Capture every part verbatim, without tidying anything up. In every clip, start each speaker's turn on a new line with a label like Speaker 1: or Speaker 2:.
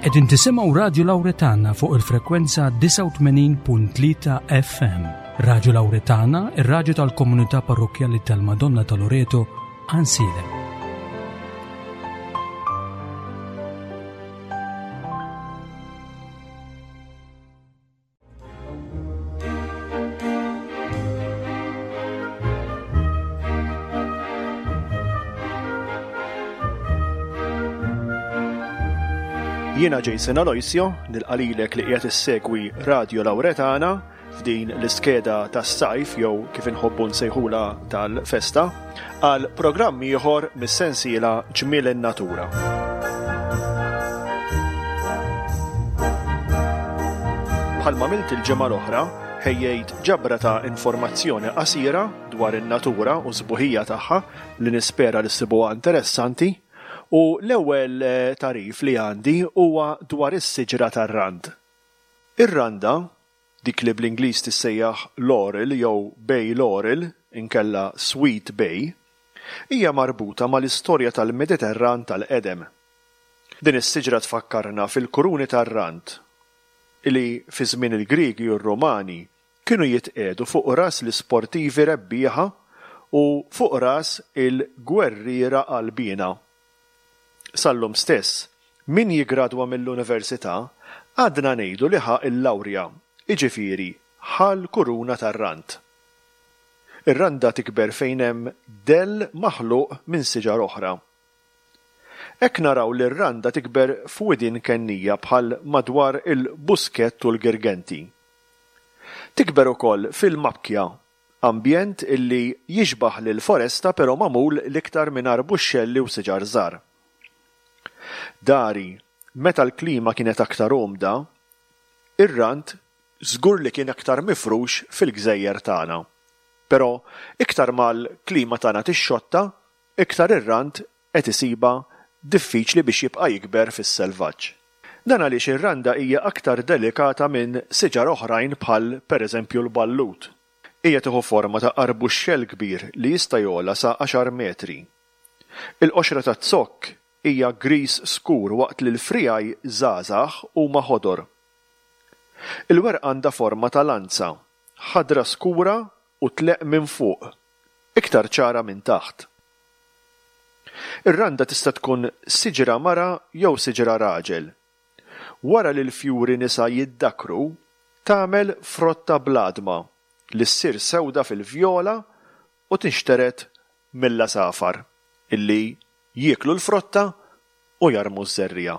Speaker 1: Qegħdin tisimgħu Radju Lawretana fuq il-frekwenza disgħa u tmenin punt tlieta F M. Radju Lawretana, ir-radju tal-komunità parrokkjali tal-Madonna ta' Loreto, Għajnsielem.
Speaker 2: Jiena Jason Aloisio, nilqalilek li qiegħed issegwi Radio Lawretana f'din l-iskeda tas-sajf jew kif inħobbu nsejħula tal-festa għal programm ieħor mis-sensiela Ġmiel in-Natura. Bħalma għamilt il-ġimgħa l-oħra, ħejjejt ġabra ta' informazzjoni qasira dwar in-natura u s-sbuħija tagħha li nispera li ssibuha interessanti. U l-ewwel, eh, tarif li għandi huwa dwar is-siġra tar-rand. Ir-randa, dik li bl-Ingliż tissejjaħ laurel jew bay laurel, inkella sweet bay, hija marbuta mal-istorja tal-Mediterran tal-qedem. Din is-siġra tfakkarna fil-kuruni tar-rand li fi żmien il-Griegi u r-Rumani kienu jitqiegħdu fuq ras l-isportivi rebbieħa u fuq ras il-gwerriera qalbiena. Sal-lum stess, min jigradwa mill-università għadna ngħidu li ħa l-lawrja, jiġifieri ħa l-kuruna tar-rand. Ir-randa tikber fejn hemm dell maħluq minn siġar oħra. Hekk naraw li r-randa tikber f'widien kennija bħal madwar il-Buskett u l-Girgenti. Tikber ukoll fil-mabkja, ambjent illi jixbaħ lil foresta però magħmul l-iktar minn arbuxxelli u siġar żgħar. Dari, meta l-klima kienet aktar umda, ir-rand żgur li kien aktar mifrux fil-gżejjer tagħna. Però iktar mal-klima tagħna tixxotta, iktar ir-rand qed isiba diffiċli biex jibqa' jikber fis-selvaġġ. Dan għaliex ir-randa hija aktar delikata minn siġar oħrajn bħal pereżempju l-ballut. Hija tieħu forma ta' arbuxxell kbir li jista' jogħla sa għaxar metri. Il-qoxra taz-zokk hija gris skur waqt li l-frijaj żgħażagħ huma ħodor. Il-werqa għandha forma ta' lanza, ħadra skura u tleq minn fuq, iktar ċara minn taħt. Ir-randa tista' tkun siġra mara jew siġra raġel. Wara li l-fjuri nisa jiddakru, tagħmel frotta bl-għadma li ssir sewda fil-vjola u tinxteret mill-għasafar illi jieklu l-frotta u jarmu ż-żerriegħa.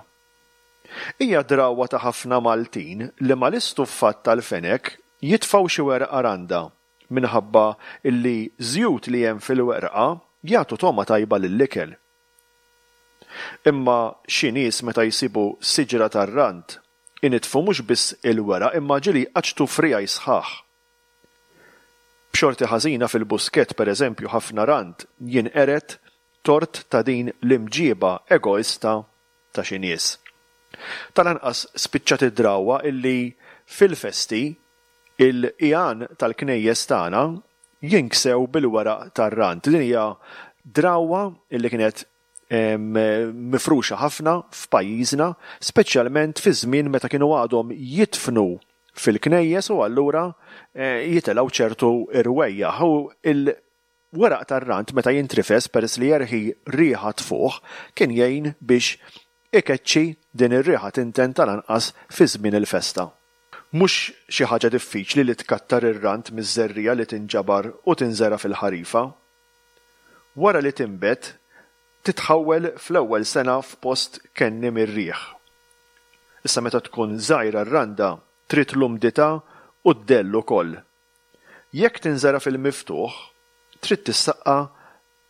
Speaker 2: Hija drawwa ta' ħafna Maltin li mal-istuffat tal-fenek jitfgħu xi werqa randa minħabba illi żjut li hemm fil-werqa jagħtu togħma tajba lill-ikel. Imma xi nies meta jsibu siġra tar-rand initfu mhux biss il-weraq imma ġieli jqaċċtu frijaj sħaħ. B'xorti ħażina fil-Buskett pereżempju ħafna rand jinqered tort ta' din l-imġiba egoista ta' xi nies. Tal-anqas spiċċat id-drawwa illi fil-festi il-qigħan tal-knejjes tagħna jinksew bil-weraq tar-rand. Din hija drawwa illi kienet, em, mifruxa ħafna f'pajjiżna, speċjalment fi żmien meta kienu għadhom jitfnu fil-knejjes u allura, eh, jitilgħu ċertu irwejjaħ. U il-weraq tar-rand meta jintrifes peress li jerħi riħa tfuħ kien jgħin biex ikeċċi din ir-riħa tinten tal-anqas fi żmien il-festa. Mhux xi ħaġa diffiċli li tkattar ir-rand miż-żerriegħa li tinġabar u tinżera fil-ħarifa. Wara li tinbet, titħawwel fl-ewwel sena f'post kenni mir-riħ. Issa meta tkun żgħira r-randa trid l-umdità u d-dell ukoll. Jekk tinżera fil-miftuħ, trid tissaqqa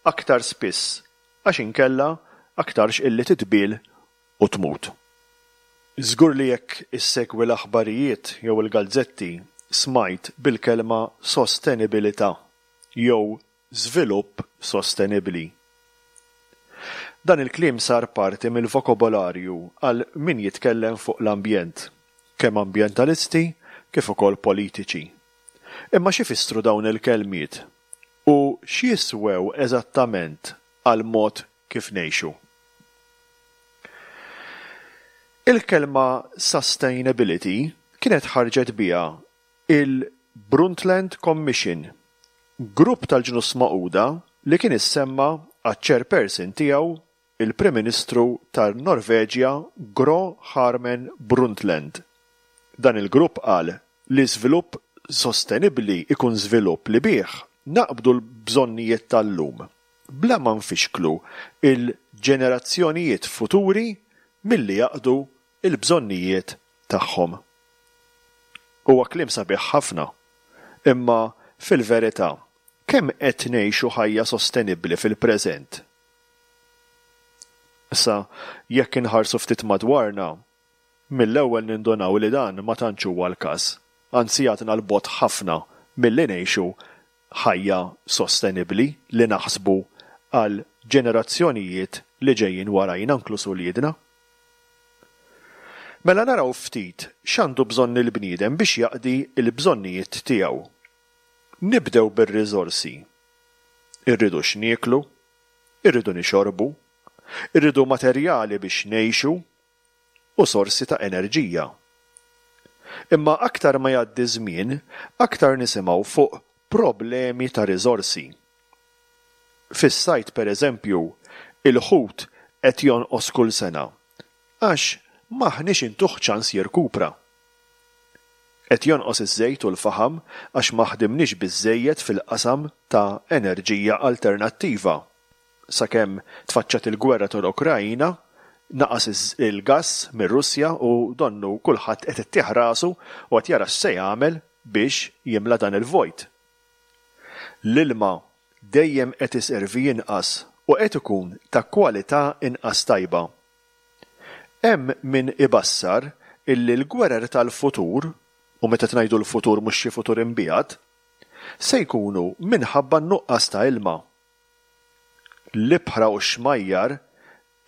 Speaker 2: aktar spiss għax inkella aktarx illi titbiel u tmut. Żgur li jekk issegwi l-aħbarijiet jew il-gazzetti smajt bil-kelma sostenibilità jew żvilupp sostenibbli. Dan il-kliem sar parti mill-vokabolarju għal min jitkellem fuq l-ambjent, kemm ambjentalisti kif ukoll politiċi. Imma xi fissru dawn il-kelmiet u x'jiswew eżattament għal mod kif ngħixu? Il-kelma sustainability kienet ħarġet biha il-Brundtland Commission, grupp tal-Ġnus Magħquda li kien issemma għaċ-chairperson tiegħu, il-Prim Ministru tan-Norveġja Gro Harlem Brundtland. Dan il-grupp qal li żvilupp sostenibbli ikun żvilupp li bih naqbdu l-bżonnijiet tal-lum bla ma nfixklu il-ġenerazzjonijiet futuri milli jaqdu l-bżonnijiet tagħhom. Huwa kliem sabiħ ħafna, imma fil-verità kemm qed ngħixu ħajja sostenibbli fil-preżent? Issa, jekk inħarsu ftit madwarna, mill-ewwel nindunaw li dan ma tantx huwa l-każ. Anzi, għadna 'l bogħod ħafna milli ngħixu ħajja sostenibbli li naħsbu għal ġenerazzjonijiet li ġejjin warajna, inkluż uliedna. Mela naraw ftit x'għandu bżonn il-bniedem biex jaqdi l-bżonnijiet tiegħu. Nibdew bir-riżorsi. Irridu x'nieklu, irridu nixorbu, irridu materjali biex ngħixu u sorsi ta' enerġija. Imma aktar ma jgħaddi żmien, aktar nisimgħu fuq problemi ta' riżorsi. Fis-sajd, pereżempju, il-ħut qed jonqos kull sena għax m'aħniex intuh ċans jirkupra. Qed jonqos iż-żejt u l-faħam għax ma ħdimniex biżżejjed fil-qasam ta' enerġija alternattiva. Sakemm tfaċċat il-gwerra tal-Ukrajna, naqas il-gass mir-Russja u donnu kulħadd qed ittieħ rasu u qed jara x'se jagħmel biex jimla dan il-vojt. L-ilma dejjem qed iservi inqas u qed ikun ta' kwalità inqas tajba. Hemm min ibassar illi l-gwerer tal-futur, u meta ngħidu l-futur mhux xi futur imbiegħed, se jkunu minħabba n-nuqqas ta' ilma. L-ibħra u x-xmajjar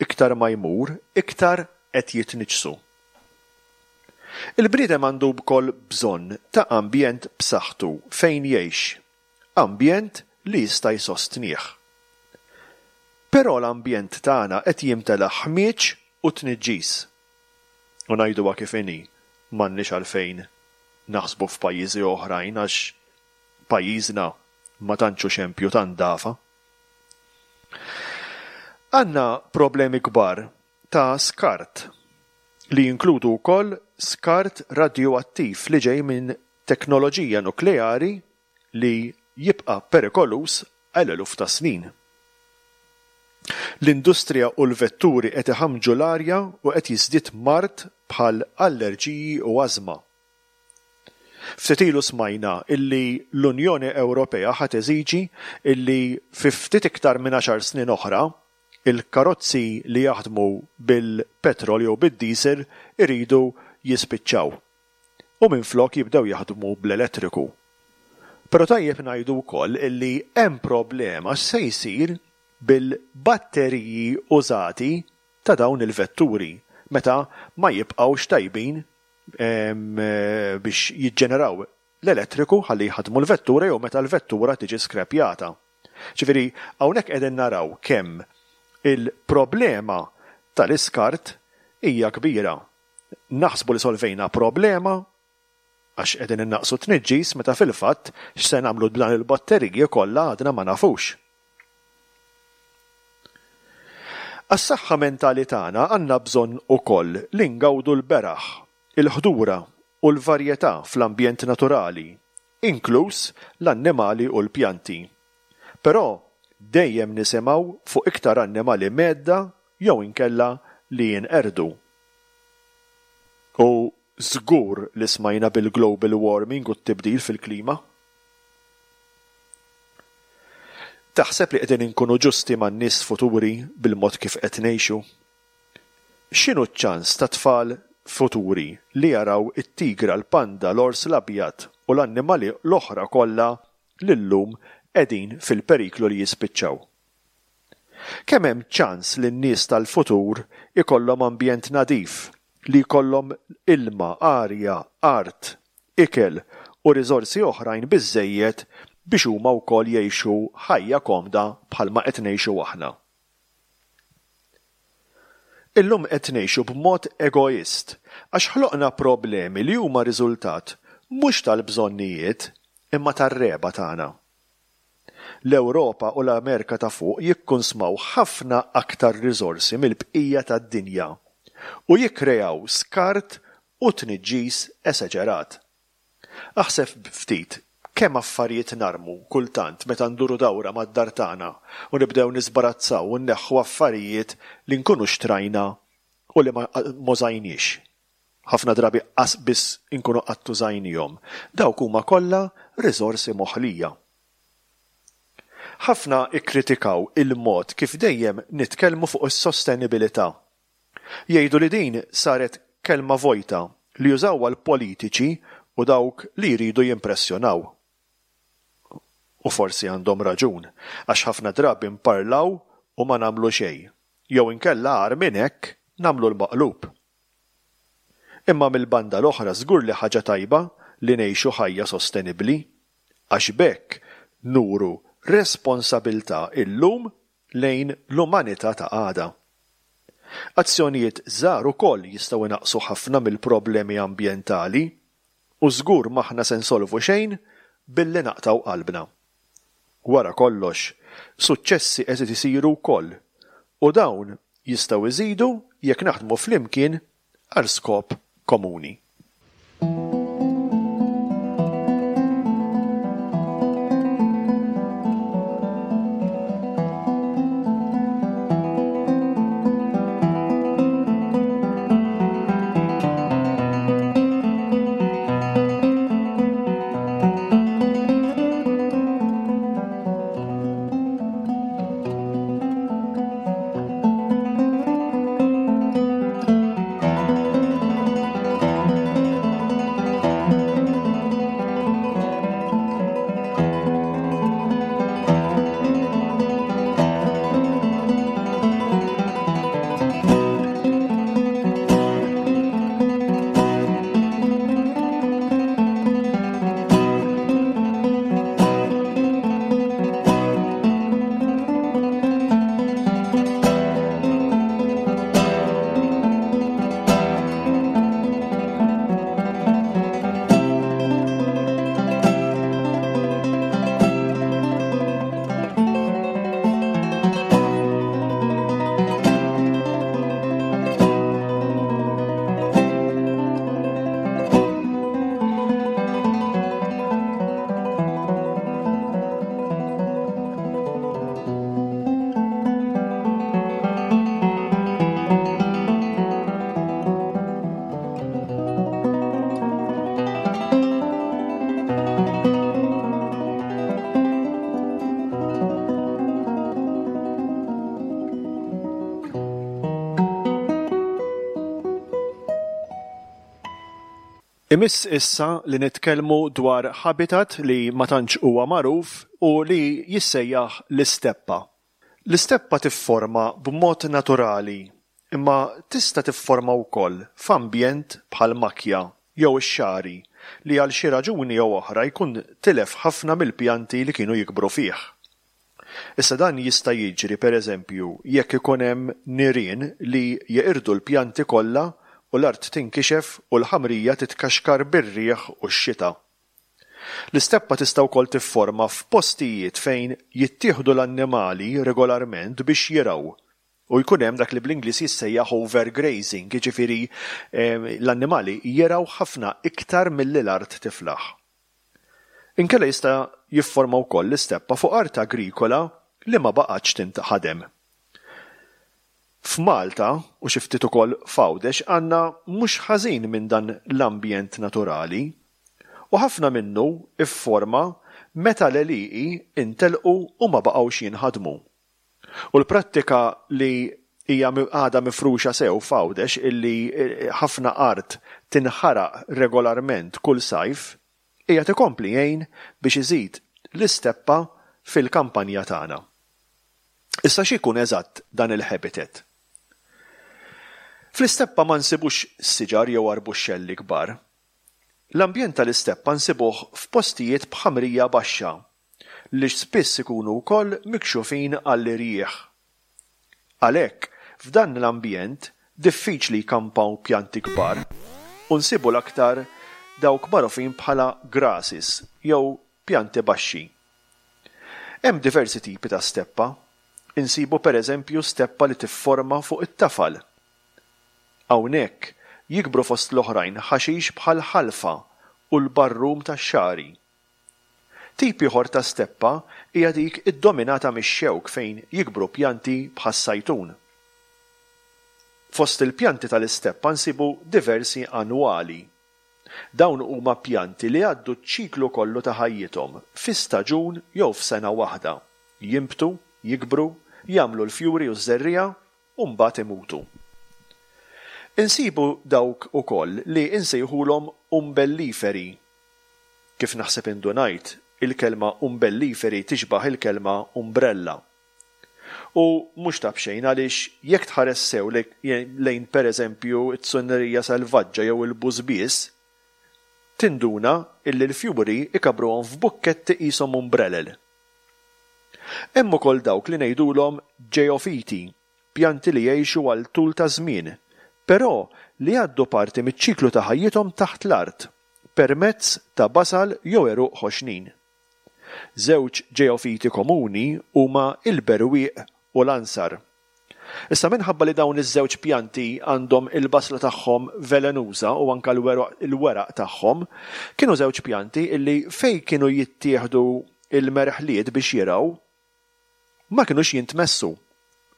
Speaker 2: iktar ma jmur, iktar qed jitniġġsu. Il-bniedem għandu wkoll bżonn ta' ambjent b'saħħtu fejn jgħix, ambjent li jista' jsostnih. Però l-ambjent tagħna qed jimtela ħmieġ u tniġġis. U ngħiduha kif inhi, m'għandniex għalfejn naħsbu f'pajjiżi oħrajn għax pajjiżna ma tantx hu xempju ta' ndafa. Għandna problemi kbar ta' skart li jinkludu wkoll skart radjuattiv li ġej minn teknoloġija nukleari li jibqa' perikoluż għal eluf ta' snin. L-industrija u l-vetturi qed iħammġu l-arja u qed jiżdied mard bħal allerġiji u ażma. Ftit ilu smajna illi l-Unjoni Ewropea ħa teżiġi illi fi ftit iktar minn għaxar snin oħra il-karozzi li jaħdmu bil-petrol jew bid-diesel iridu jispiċċaw u minflok jibdew jaħdmu bl-elettriku. Però tajjeb ngħidu wkoll illi hemm problema x'se jsir bil-batteriji użati ta' dawn il-vetturi meta ma jibqgħux tajbin biex jiġġeneraw l-elettriku ħalli jħaddmu l-vettura jew meta l-vettura tiġi skrepjata. Ġifieri hawnhekk qegħdin naraw kemm il-problema tal-iskart hija kbira. Naħsbu li solvejna problema għax qegħdin innaqsu t-tniġġis meta fil-fatt x'se nagħmlu b'dan il-batteriji kollha għadna ma nafux. Għas-saħħa mentali tagħna għandna bżonn ukoll li ngawdu l-beraħ, il-ħdura u l-varjetà fl-ambjent naturali, inkluż l-annimali u l-pjanti. Però dejjem nisimgħu fuq iktar annimali mhedda jew inkella li jinqerdu. U żgur li smajna bil-global warming u t-tibdil fil-klima. Taħseb li qegħdin inkunu ġusti man-nies futuri bil-mod kif qed ngħixu? X'inhu ċ-ċans ta' tfal futuri li jaraw it-tigra, l-panda, l-ors l-abjad u l-annimali l-oħra kollha li llum qegħdin fil-periklu li jispiċċaw? Kemm hemm ċans li n-nies tal-futur ikollhom ambjent nadif, li jkollhom ilma, arja, art, ikel u riżorsi oħrajn biżżejjed biex huma wkoll jgħixu ħajja komda bħalma qed ngħixu aħna? Illum qed ngħixu b'mod egoist għax ħloqna problemi li huma riżultat mhux tal-bżonnijiet imma tar-regħba tagħna. L-Ewropa u l-Amerika ta' fuq jikkunsmaw ħafna aktar riżorsi mill-bqija tad-dinja u jikkreaw skart u tniġġis esaġerat. Aħseb ftit kemm affarijiet narmu kultant meta nduru dawra mad-dar tagħna u nibdew niżbarazzaw u nneħħu affarijiet li nkunu xtrajna u li ma użajniex. Ħafna drabi qas biss inkunu qatt użajnihom. Dawk huma kollha riżorsi moħlija. Ħafna ikkritikaw il-mod kif dejjem nitkellmu fuq is-sostenibilità. Jgħidu li din saret kelma vojta li jużawha l-politiċi u dawk li jridu jimpressjonaw. U forsi għandhom raġun, għax ħafna drabi nparlaw u ma nagħmlu xejn, jew inkella agħar minn hekk nagħmlu l-maqlub. Imma mill-banda l-oħra żgur li ħaġa tajba li ngħixu ħajja sostenibbli, għax b'hekk nuru responsabilità illum lejn l-umanità ta' għada. Azzjonijiet żgħar ukoll jistgħu jnaqqsu ħafna mill-problemi ambjentali u żgur m'aħna se nsolvu xejn billi naqtgħu qalbna. Wara kollox, suċċessi qed isiru wkoll u dawn jistgħu jżidu jekk naħdmu flimkien għal skop komuni. Imiss issa li nitkellmu dwar habitat li ma tantx huwa magħruf u li jissejjaħ l-isteppa. L-isteppa tifforma b'mod naturali, imma tista' tifforma wkoll f'ambjent bħal makja jew ix-xagħri li għal xi raġuni jew oħra jkun tilef ħafna mill-pjanti li kienu jikbru fih. Issa dan jista' jiġri pereżempju jekk ikun hemm nirien li jeqirdu l-pjanti kollha u l-art tinkixef u l-ħamrija titkaxkar bir-riħ u x-xita. L-isteppa tista' wkoll tifforma f'postijiet fejn jittieħdu l-annimali regolarment biex jirgħu u jkun hemm dak li bl-Ingliż jissejjaħ overgrazing, jiġifieri l-annimali jirgħu ħafna iktar milli l-art tiflaħ. Inkella jista' jifforma wkoll l-isteppa fuq art agrikola li ma baqgħetx tinħadem. F'Malta u xi ftit ukoll f'Għawdex għandna mhux ħażin minn dan l-ambjent naturali u ħafna minnu fforma meta l-għelieqi intelqu u ma baqgħux jinħadmu. U l-prattika li hija għadha mifruxa sew f'Għawdex illi ħafna art tinħaraq regolarment kull sajf hija tikompli jgħin biex iżid l-isteppa fil-kampanja tagħna. Issa x'ikun eżatt dan il-habitat? Fl-isteppa ma nsibux siġar jew arbuxxelli kbar. L-ambjent tal-isteppa nsibuh f'postijiet b'ħamrija baxxa li spiss ikunu wkoll mikxufin għall-irjieħ. Għalhekk, f'dan l-ambjent diffiċli jkampaw pjanti kbar u nsibu l-aktar dawk magħrufin bħala grasses jew pjanti baxxi. Hemm diversi tipi ta' steppa. Insibu pereżempju steppa li tifforma fuq it-tafal. Hawnhekk jikbru fost l-oħrajn ħaxix bħall-ħalfa u l-barrum tax-xagħri. Tip ieħor ta' steppa hija dik iddominata mix-xewk fejn jikbru pjanti bħas-sajtun. Fost il-pjanti tal-isteppa nsibu diversi annwali. Dawn huma pjanti li jgħaddu ċ-ċiklu kollu ta' ħajjithom fi staġun jew f'sena waħda, jinbtu, jikbru, jagħmlu l-fjuri u ż-żerriegħa u mbagħad imutu. Insibu dawk ukoll li nsejħulhom umbelliferi. Kif naħseb indunajt, il-kelma umbelliferi tixbah il-kelma umbrella. U mhux ta' b'xejn għaliex jekk tħares sew lejn pereżempju t-tsunnerija selvaġġa jew il-bużbież, tinduna illi l-fjuri ikabbruhom f'bukketti qishom umbrelel. Hemm ukoll dawk li ngħidulhom ġeofiti, pjanti li jgħixu għal tul ta' żmien, però li jgħaddu parti miċ-ċiklu ta' ħajjithom taħt l-art, permezz ta' basal jew għeruq ħoxnin. Żewġ ġeofiti komuni huma l-berwieq u l-ansar. Issa minħabba li dawn iż-żewġ pjanti għandhom il-basla tagħhom velenuża u anke l-weraq tagħhom, kienu żewġ pjanti illi fejn kienu jittieħdu l-merħliet biex jirgħu, ma kinux jintmessu.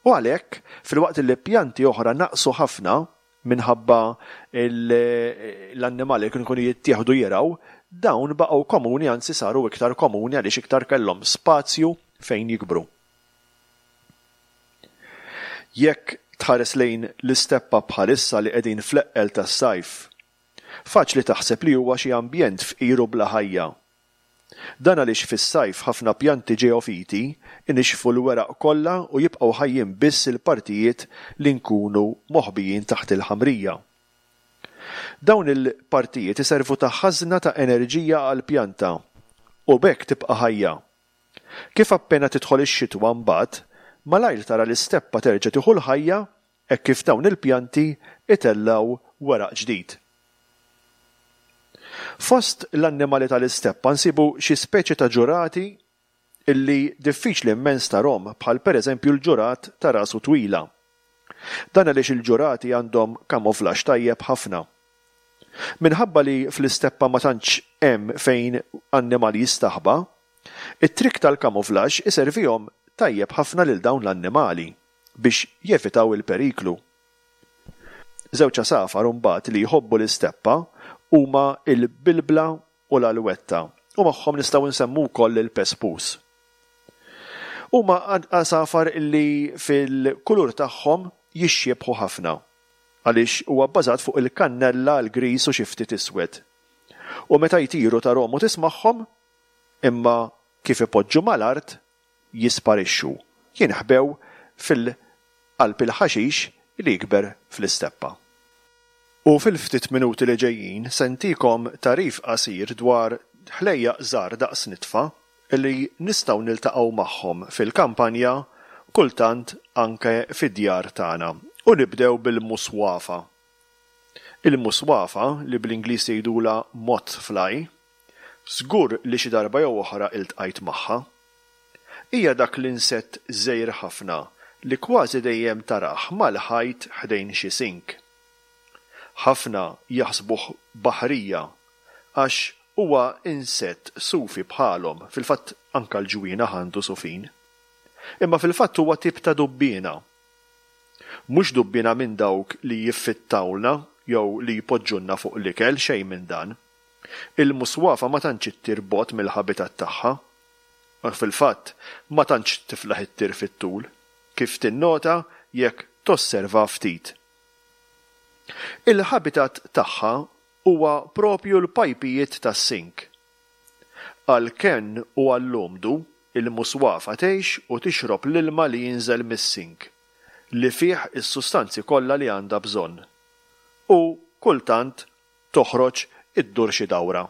Speaker 2: U għalhekk, filwaqt li pjanti oħra naqsu ħafna minħabba l-annimali li kienu jkunu jittieħdu jirgħu, dawn baqgħu komuni anzi saru iktar komuni għaliex iktar kellhom spazju fejn jikbru. Jekk tħares lejn l-isteppa bħalissa li qegħdin fl-eqqel tas-sajf, faċli taħseb li huwa xi ambjent fqir u bla ħajja. Dan għaliex fis-sajf ħafna pjanti ġeofiti inixxfu l-weraq kollha u jibqgħu ħajjin biss il-partijiet li nkunu moħbijin taħt il-ħamrija. Dawn il-partijiet iservu ta' ħażna ta' enerġija għall-pjanta u b'hekk tibqa' ħajja. Kif appena tidħol ix-xitwa mbagħad, malajr tara l-isteppa terġa' tieħu l-ħajja hekk kif dawn il-pjanti itellgħu weraq ġdid. Fost l-annimali tal-isteppa nsibu xi speċi ta' ġurati illi diffiċli immens tarhom bħal pereżempju l-ġurat ta' rasu twila. Dan għaliex il-ġurati għandhom camouflage tajjeb ħafna. Minħabba li fl-isteppa ma tantx hemm fejn annimal jistaħba, it-trikk tal-camouflage iservihom tajjeb ħafna lil dawn l-annimali biex jevitaw il-periklu. Żewġ għasafar imbagħad li jħobbu l-isteppa huma l-bilbla u l-alwetta u magħhom nistgħu nsemmu wkoll il-pespus. Huma għasafar li fil-kulur tagħhom jixxiebħu ħafna għaliex huwa bbażat fuq il-kannella, l-griż u xi ftit iswed. U meta jtiru tarhom u tismagħhom, imma kif ipoġġu mal-art jisparixxu, jinħbew fil-qalb il-ħaxix li jikber fl-isteppa. U fil-ftit minuti li ġejjin se ntikom tagħrif qasir dwar ħlejjaq żgħar daqs nitfa li nistgħu niltaqgħu magħhom fil-kampanja, kultant anke fid-djar tagħna. U nibdew bil-muswafa. Il-muswafa, li bl-Ingliż jgħidulha moth fly, żgur li xi darba jew oħra iltqajt magħha. Hija dak l-insett żgħir ħafna li kważi dejjem tarah mal-ħajt ħdejn xi sink. Ħafna jaħsbuh baħrija għax huwa insett sufi bħalhom, fil-fatt anke l-ġwienaħ għandu sufin. Imma fil-fatt huwa tip ta' dubbiena. Mhux dubbiena minn dawk li jiffittawlna jew li jpoġġulna fuq l-ikel, xejn minn dan. Il-muswafa ma tantx ittir bogħod mill-ħabitat tagħha. Fil-fatt, ma tantx tiflaħ ittir fit-tul, kif tinnota jekk tosserva ftit. Il-ħabitat tagħha huwa propju l-pajpijiet tas-sink. Għall-kenn u għall-umdu, il-muswafa tgħix u tixrob l-ilma li jinżel mis-sink, li fih is-sustanzi kollha li għandha bżonn. U kultant toħroġ iddur xi dawra.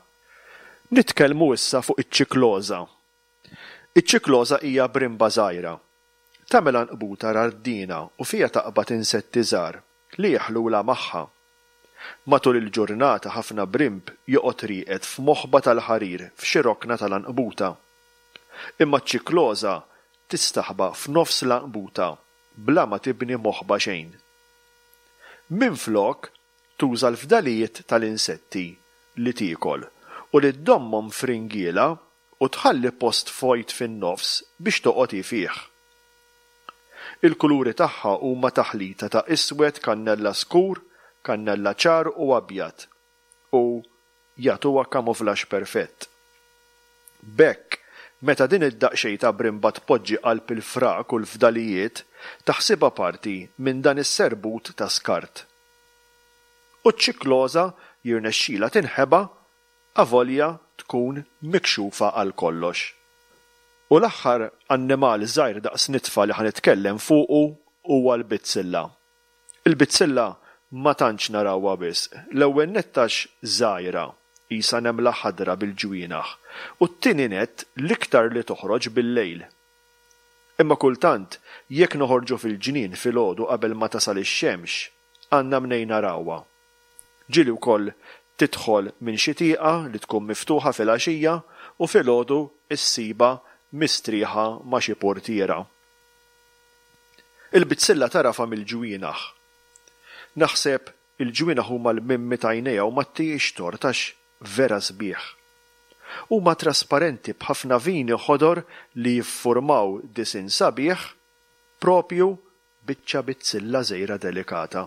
Speaker 2: Nitkellmu issa fuq iċ-ċikloża. Iċ-ċikloża hija brimba żgħira. Tagħmel għanqbuta rardina u fiha taqbad insetti żgħar li jeħlulha magħha. Matul il-ġurnata ħafna brimb joqgħod rieqed f'moħba tal-ħarir f'xi rokna tal-għanqbuta. Imma ċ-ċikloża tistaħba f'nofs l-għanqbuta bla ma tibni moħba xejn. Minflok tuża l-fdalijiet tal-insetti li tiekol u li ddommhom f'ringiela u tħalli post vojt fin-nofs biex toqgħod hi fih. Il-kuluri tagħha huma taħlita ta' iswed, kannella skur, kannella ċar u abjad u jagħtuha camouflage perfett. B'hekk, meta din id-daqsxejn ta' brimba tpoġġi qalb il-frak u l-fdalijiet, taħsibha parti minn dan is-serbut ta' skart. U ċ-ċikloża jirnexxilha tinħeba avolja tkun mikxufa għal kollox. U l-aħħar annimal żgħir daqs nitfa li ħa nitkellem fuqu huwa l-bizzilla. Il-bizzilla ma tantx narawha wisq. L-ewwel nett għax żgħira, qisha nemla ħadra bil-ġwienaħ, u t-tieni nett l-iktar li toħroġ bil-lejl. Imma kultant, jekk noħorġu fil-ġnien filgħodu qabel ma tasal ix-xemx, għandna mnejn narawha. Ġieli wkoll tidħol minn xi tieqa li tkun miftuħa filgħaxija u filgħodu ssibha mistrieħa ma' xi portiera. Il-bizzilla tagħrafha mill-ġwienaħ. Naħseb il-ġwienaħ huma l-mimmi t'għajnejha u ma ttihiex tort għax vera sbieħ. Huma trasparenti b'ħafna vini ħodor li jiffurmaw disinn sabiħ propju biċċa bizzilla żgħira delikata.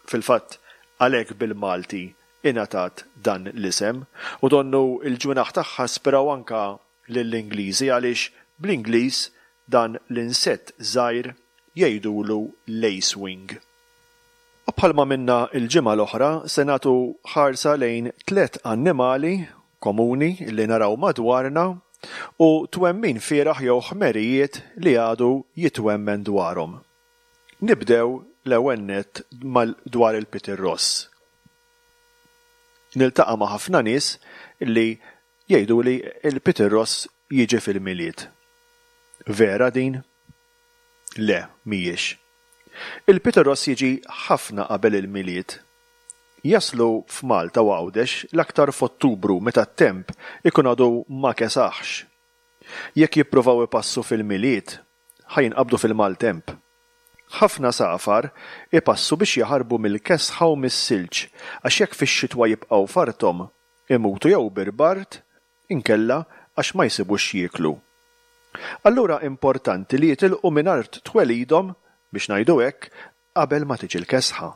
Speaker 2: Fil-fatt, għalhekk bil-Malti ingħatat dan l-isem u donnu l-ġwienaħ tagħha ispiraw anke lill-Ingliżi għaliex bl-Ingliż dan l-insett żgħir jgħidulu lacewing. U bħalma minna l-ġimgħa l-oħra se nagħtu ħarsa lejn tliet annimali komuni li naraw madwarna u twemmin fieragħ jew ħmerijiet li għadu jitwemmen dwarhom. Nibdew l-ewwel nett dwar il-pitirross. Niltaqa' ma' ħafna nies li jgħidu li l-pitirross jiġi fil-Milied. Vera din? Le, mhijiex. Il-pitirross jiġi ħafna qabel il-Milied. Jaslu f'Malta u Għawdex l-aktar f'Ottubru meta t-temp ikun għadu ma kesaħx. Jekk jippruvaw ipassu fil-Milied, ħa jinqabdu fil-maltemp. Ħafna għasafar ipassu biex jaħarbu mill-kesħa u mis-silġ għax jekk fix-xitwa jibqgħu f'arthom, imutu jew bil-bard inkella għax ma jsibux x'jieklu. Allura importanti li jitilqu minn art twelidhom, biex ngħidu hekk, qabel ma tiġi l-kesħa.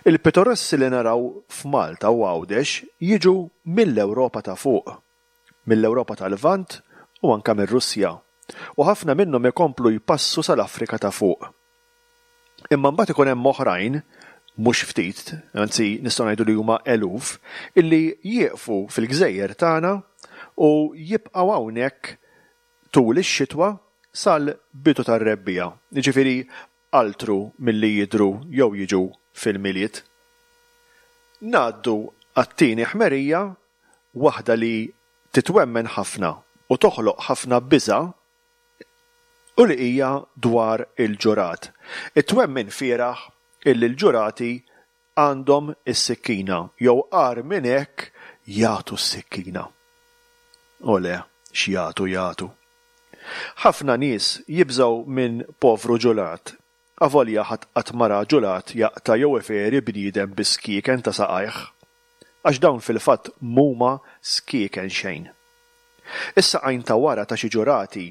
Speaker 2: Il-pitorossi li naraw f'Malta u Għawdex jiġu mill-Ewropa ta' fuq, mill-Ewropa tal-Lvant u anke mir-Russja, u ħafna minnhom ikomplu jpassu sal-Afrika ta' fuq. Imma mbagħad ikun hemm oħrajn, mhux ftit, anzi nistgħu ngħidu li huma eluf, illi jieqfu fil-gżejjer tagħna u jibqgħu hawnhekk tul ix-xitwa sal-bidu tar-rebbiegħa, jiġifieri altru milli jidhru jew jiġu fil-Milied. Ngħaddu għat-tieni ħmerija, waħda li titwemmen ħafna u toħloq ħafna biża' u li hija dwar il-ġurat. It-twemmin fieragħ illi l-ġurati għandhom is-sikkina jew agħar minn hekk jagħtu s-sikkina. O le, x'jagħtu jagħtu. Ħafna nies jibżgħu minn povru ġulat, avolja ħadd qatt ma ra ġulat jaqta' jew iferi bniedem bi skieken ta' saqajh, għax dawn fil-fatt m'huma skieken xejn. Is-saqajn ta' wara ta' xi ġurati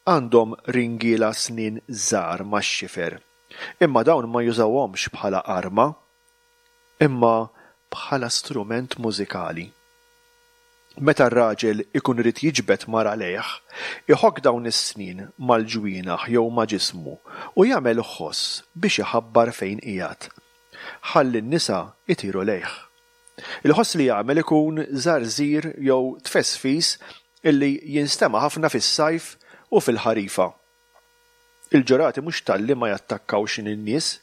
Speaker 2: għandhom ringiela snien żgħar max-xifer, imma dawn ma jużawhomx bħala arma, imma bħala strument mużikali. Meta r-raġel ikun irid jiġbed mara lejh, iħokk dawn is-snien mal-ġwienaħ jew ma' ġismu u jagħmel ħoss biex iħabbar fejn qiegħed. Ħalli n-nisa jtiru lejh. Il-ħoss li jagħmel ikun żarżir jew tfesfis illi jinstema' ħafna fis-sajf u fil-ħarifa. Il-ġurati mhux talli ma jattakkawx lin-nies,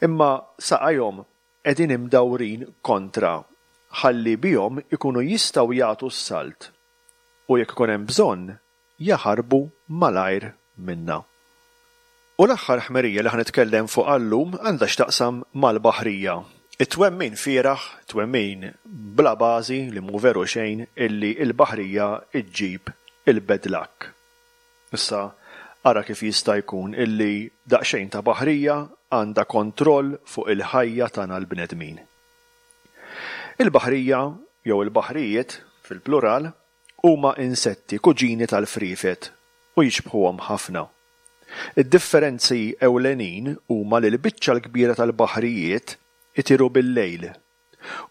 Speaker 2: imma saqajhom qegħdin imdawrin kontra ħalli bihom ikunu jistgħu jagħtu s-salt u jekk ikun hemm bżonn jaħarbu malajr minna. U l-aħħar ħmerija li ħa nitkellem fuqha llum għandha x'taqsam mal-baħrija. It-twemmin fieragħ, twemmin bla bażi li mhu veru xejn illi l-baħrija ġġib il-bad luck. Issa ara kif jista' jkun illi daqsxejn ta' baħrija għandha kontroll fuq il-ħajja tagħna l-bnedmin. Il-baħrija jew il-baħrijiet fil-plural huma insetti kuġini tal-friefet u jixbħuhom ħafna. Id-differenzi ewlenin huma li l-biċċa l-kbira tal-baħrijiet itiru bil-lejl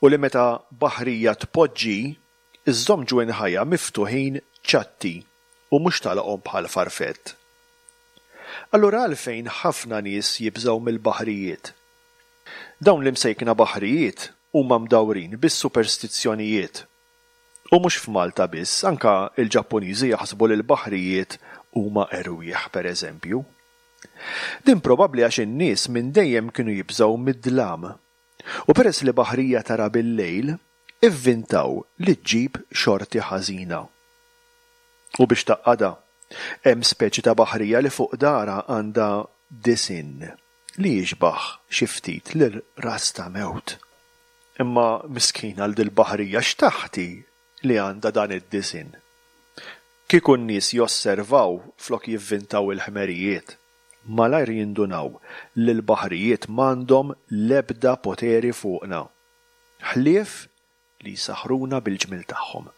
Speaker 2: u li meta baħrija tpoġġi iżżomm ġwinħajha miftuħin ċatti u mhux tagħlaqhom bħal farfett. Allura għalfejn ħafna nies jibżgħu mill-baħrijiet? Dawn l-imsejkna baħrijiet huma mdawrin bis-superstizzjonijiet. U mhux f'Malta biss, anka l-Ġappuniżi jaħsbu li l-baħrijiet huma erwieħ pereżempju. Din probabbli għax in-nies minn dejjem kienu jibżgħu mid-dlam. U peress li baħrija tara bil-lejl, ivvintaw li ġġib xorti ħażina. U biex tgħaqqadha, hemm speċi ta' baħrija li fuq dara għandha disinn li jixbaħ xi ftit lil ras ta' mewt. Imma miskina għal dil-baħrija x'taħti li għandha dan id-disinn. Kieku n-nies josservaw flok jivvintaw il-ħmerijiet, malajr jindunaw li l-baħrijiet m'għandhom l-ebda poteri fuqna, ħlief li jsaħħruna bil-ġmiel tagħhom.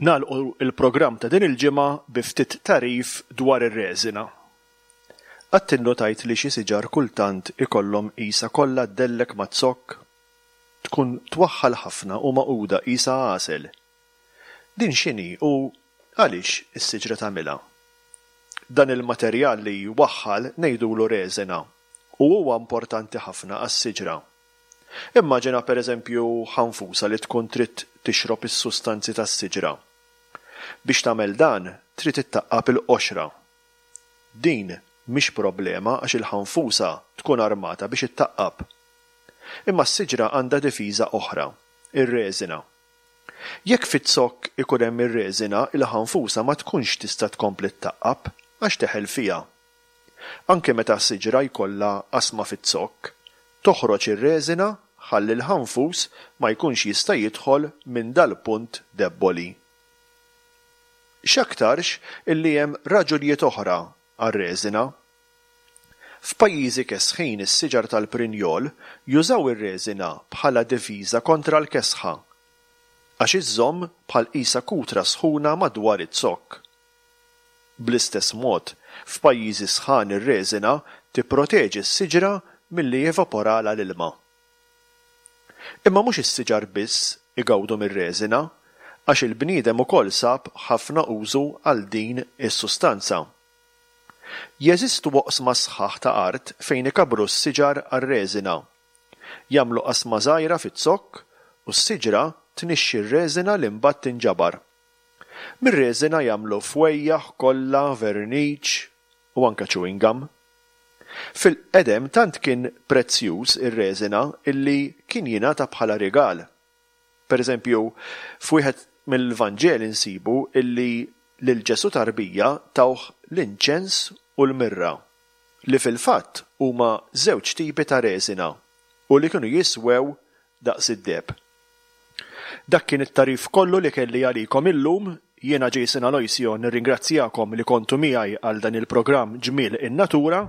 Speaker 2: Nagħlqu l-programm ta' din il-ġimgħa bi ftit tagħrif dwar ir-reżina. Qatt innotajt li xi siġar kultant ikollhom qisha kollha ddellek maz-zokk? Tkun twaħħal ħafna u magħquda qisha għasel. Din x'inhi u għaliex is-siġra tagħmilha? Dan il-materjal li jwaħħal ngħidulu reżina u huwa importanti ħafna għas-siġra. Immaġina pereżempju ħanfusa li tkun trid tixrob is-sustanzi tas-siġra. Biex tagħmel dan trid ittaqqab il-qoxra. Din mhix problema għax il-ħanfusa tkun armata biex ittaqqab. Imma s-siġra għandha difiża oħra, ir-reżina. Jekk fiz-zokk ikun hemm ir-reżina, il-ħanfusa ma tkunx tista' tkompli ttaqqab għax teħel fiha. Anke meta siġra jkollha qasma fiz-zokk, toħroġ ir-reżina ħalli l-ħanfus ma jkunx jista' jidħol minn dal-punt debboli. X'aktarx illi hemm raġunijiet oħra għar-reżina. F'pajjiżi kesħin is-siġar tal-prinjol jużaw ir-reżina bħala difiża kontra l-kesħa, għax iżżomm bħal qisha kutra sħuna madwar iz-zokk. Bl-istess mod, f'pajjiżi sħan ir-reżina tipproteġi s-siġra milli jevaporalha l-ilma. Imma mhux is-siġar biss igawdu mir-reżina, għax il-bniedem ukoll sab ħafna użu għal din is-sustanza. Jeżistu oqsma sħaħ ta' art fejn ikabbru s-siġar għar-reżina. Jagħmlu qasma żgħira fiz-zokk u s-siġra tnixxi r-reżina li mbagħad tinġabar. Mir-reżina jagħmlu fwejjaħ, kolla, verniċ u anke chewing gum. Fil-qedem tant kien prezzjuż ir-reżina illi kien jingħata bħala rigal. Per eżempju, f'wieħed mill-Vanġeli nsibu illi lil Ġesù tarbija tawh l-inċens u l-mirra, li fil-fatt huma żewġ tipi ta' reżina u li kienu jiswew daqs id-deheb. Dak kien it-tagħrif kollu li kelli għalikom illum. Jiena Jason Aloisio nirringrazzjakom li kontu miegħi għal dan il-programm Ġmiel in-Natura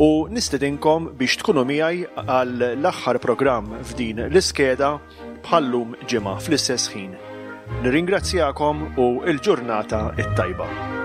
Speaker 2: u nistedinkom biex tkunu miegħi għal l-aħħar programm f'din l-iskeda bħallum ġimgħa fl-istess ħin. Nirringrazzjakom u l-ġurnata t-tajba.